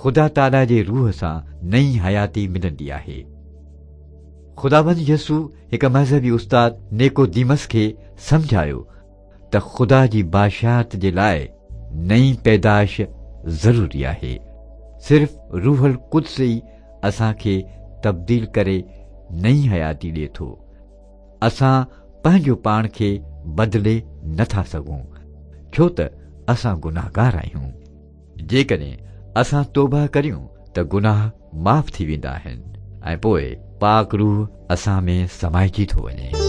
خدا تعاليٰ جي روح سان نئين حياتي ملندي آهي. خداوند يسوع هڪ مذهبي استاد نيڪوديمس کي سمجهايو ته خدا جي بادشاهت جي لاء نئين پيدائش ضروري آهي. صرف روح القدس ئي اسان کي تبديل ڪري نئين حياتي ڏئي ٿو. اسان پنهنجو پاڻ کي بدلي نه ٿا سگهون، ڇو ته اسان گناهگار آهيون. جيڪڏهن اسان توبهه ڪريون ته گناهه معاف ٿي ويندا آهن ۽ پوء پاڪ روح اسان ۾ سمائجي ٿو وڃي.